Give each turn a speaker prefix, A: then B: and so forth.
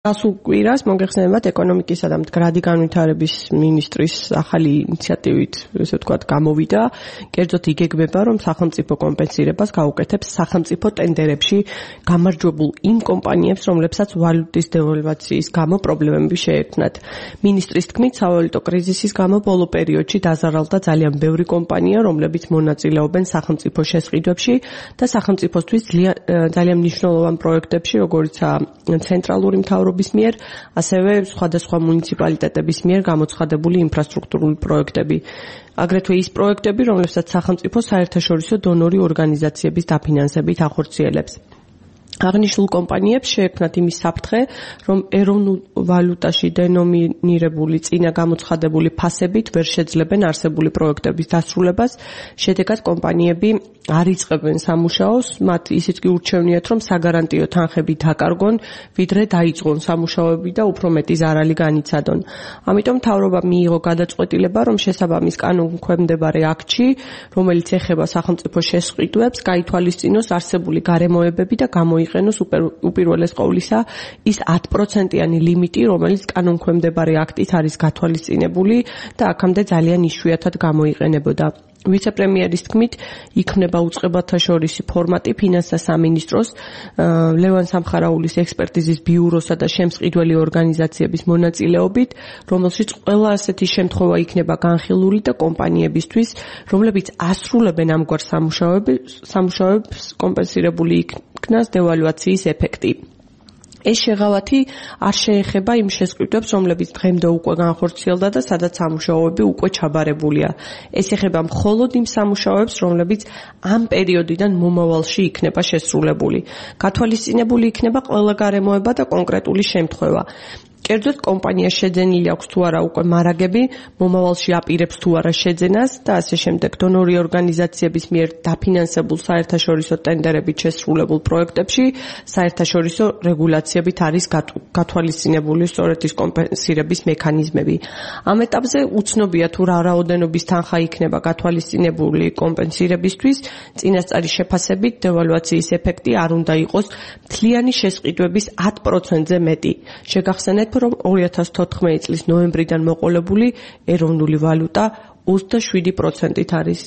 A: გასულ კვირას მოგეხსენებათ ეკონომიკისა და მდგრადი განვითარების მინისტრის ახალი ინიციატივით, ესე ვთქვათ, გამოვიდა, კერძოდ იგეგმება, რომ სახელმწიფო კომპენსირებას გაუკეთებს სახელმწიფო ტენდერებში გამარჯვებულ იმ კომპანიებს, რომლებსაც ვალუტის დევალვაციის გამო პრობლემები შეექმნათ. მინისტრის თქმით, სავალუტო კრიზისის გამო ბოლო პერიოდში დაზარალდა ძალიან ბევრი კომპანია, რომლებიც მონაწილეობენ სახელმწიფო შესყიდვებში და სახელმწიფოსთვის ძალიან მნიშვნელოვან პროექტებში, როგორიცაა ცენტრალური მთავრობის მიერ, ასევე სხვადასხვა მუნიციპალიტეტების მიერ გამოცხადებული ინფრასტრუქტურული პროექტები. აგრეთვე ის პროექტები, რომლებსაც სახელმწიფო საერთაშორისო დონორი ორგანიზაციების დაფინანსებით ახორციელებს. აღნიშნულ კომპანიებს შეექმნათ იმის საფრთხე, რომ ეროვნულ ვალუტაში დენომინირებული წინა გამოცხადებული ფასებით ვერ შეძლებენ არსებული პროექტების დასრულებას, შედეგად კომპანიები არ იწყებენ სამუშაოს, მათ ისიც კი ურჩევნიათ, რომ საგარანტიო თანხები დაკარგონ, ვიდრე დაიწყონ სამუშაოები და უფრო მეტი ზარალი განიცადონ. ამიტომ მთავრობამ მიიღო გადაწყვეტილება, რომ შესაბამის კანონქვემდებარე აქტში, რომელიც ეხება სახელმწიფო შესყიდვებს, გაითვალისწინოს არსებული გარემოებები და გამოიყენოს უპირველეს ყოვლისა ის 10%-იანი ლიმიტი, რომელიც კანონქვემდებარე აქტით არის გათვალისწინებული და აქამდე ძალიან იშვიათად გამოიყენებოდა. ვიცე-პრემიერის თქმით, იქმნება უწყებათა შორისი ფორმატი ფინანსთა სამინისტროს, ლევან სამხარაულის ექსპერტიზის ბიუროსა და შემსყიდველი ორგანიზაციების მონაწილეობით, რომელშიც ყველა ასეთი შემთხვევა იქნება განხილული და კომპანიებისთვის, რომლებიც ასრულებენ ამგვარ სამუშაოებს, კომპენსირებული იქნას დევალვაციის ეფექტი. ეს შეღავათი არ შეეხება იმ შესყიდვებს, რომლებიც დღემდე უკვე განხორციელდა და სადაც სამუშაოები უკვე ჩაბარებულია. ეს ეხება მხოლოდ იმ სამუშაოებს, რომლებიც ამ პერიოდიდან მომავალში იქნება შესრულებული. გათვალისწინებული იქნება ყველა გარემოება და კონკრეტული შემთხვევა. კერძოდ კომპანიას შეძენილი აქვს თუ არა უკვე მარაგები, მომავალში აპირებს თუ არა შეძენას და ასე შემდეგ. დონორი ორგანიზაციების მიერ დაფინანსებულ საერთაშორისო ტენდერებით შესრულებულ პროექტებში საერთაშორისო რეგულაციებით არის გათვალისწინებული სწორედ ის კომპენსირების მექანიზმები. ამ ეტაპზე უცნობია თუ რა რაოდენობის თანხა იქნება გათვალისწინებული კომპენსირებისთვის, წინასწარი შეფასებით დევალვაციის ეფექტი არ უნდა იყოს მთლიანი შესყიდვების 10%-ზე მეტი. შეგახსენეთ, რომ 2014 წლის ნოემბრიდან მოყოლებული ეროვნული ვალუტა 27%-ით არის